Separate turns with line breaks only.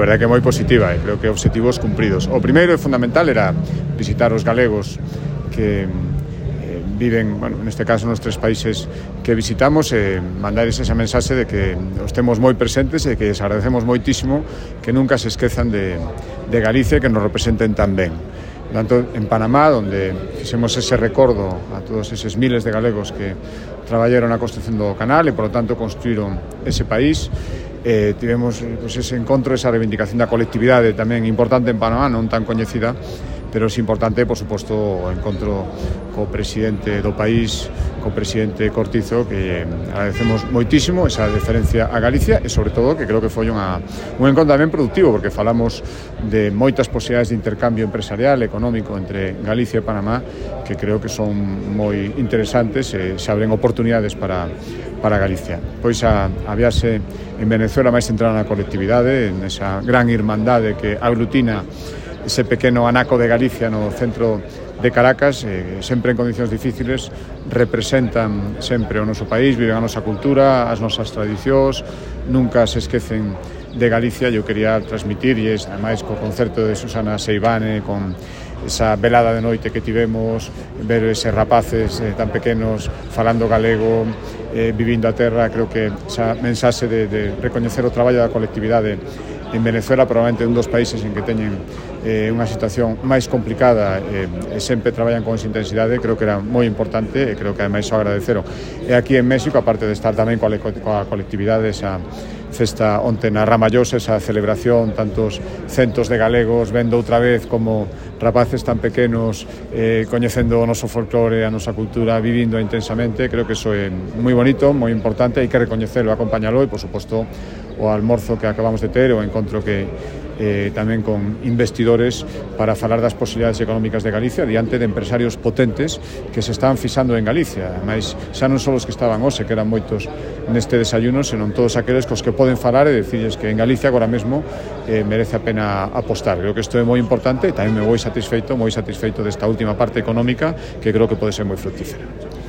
A verdade que é moi positiva e creo que obxectivos cumpridos. O primeiro e fundamental era visitar os galegos que viven, bueno, neste caso nos 3 países que visitamos e mandarles esa mensaxe de que os temos moi presentes e que les agradecemos moitísimo que nunca se esquezan de Galicia e que nos representen tan ben. Tanto en Panamá, donde fixemos ese recordo a todos eses miles de galegos que traballaron na construción do canal e, por lo tanto, construíron ese país. Tivemos pues, ese encontro, esa reivindicación da colectividade tamén importante en Panamá, non tan coñecida, pero é importante, por suposto, o encontro co presidente do país, co presidente Cortizo, que agradecemos moitísimo esa deferencia a Galicia e, sobre todo, que creo que foi un encontro tamén productivo, porque falamos de moitas posibilidades de intercambio empresarial, económico entre Galicia e Panamá, que creo que son moi interesantes e se abren oportunidades para Galicia. Pois a viaxe en Venezuela máis centrada na colectividade, en esa gran irmandade que aglutina ese pequeno anaco de Galicia no centro de Caracas, sempre en condicións difíciles, representan sempre o noso país, viven a nosa cultura, as nosas tradicións, nunca se esquecen de Galicia. Eu quería transmitir, e ademais co concerto de Susana Seivane, con esa velada de noite que tivemos, ver eses rapaces tan pequenos falando galego, vivindo a terra, creo que esa mensaxe de recoñecer o traballo da colectividade en Venezuela, probablemente un dos países en que teñen unha situación máis complicada e sempre traballan con esa intensidade, creo que era moi importante e creo que ademais o agradeceron. E aquí en México, aparte de estar tamén coa colectividade, esa festa onte na Ramallosa, esa celebración, tantos centos de galegos vendo outra vez como rapaces tan pequenos coñecendo o noso folclore, a nosa cultura, vivindo intensamente, creo que iso é moi bonito, moi importante, hai que recoñecelo, acompañalo e, por suposto, o almorzo que acabamos de ter, o encontro que tamén con investidores para falar das posibilidades económicas de Galicia diante de empresarios potentes que se están fixando en Galicia. Ademais, xa non só os que estaban hoxe, que eran moitos neste desayuno, senón todos aqueles cos que poden falar e decirles que en Galicia agora mesmo merece a pena apostar. Creo que isto é moi importante e tamén me moi satisfeito desta última parte económica, que creo que pode ser moi fructífera.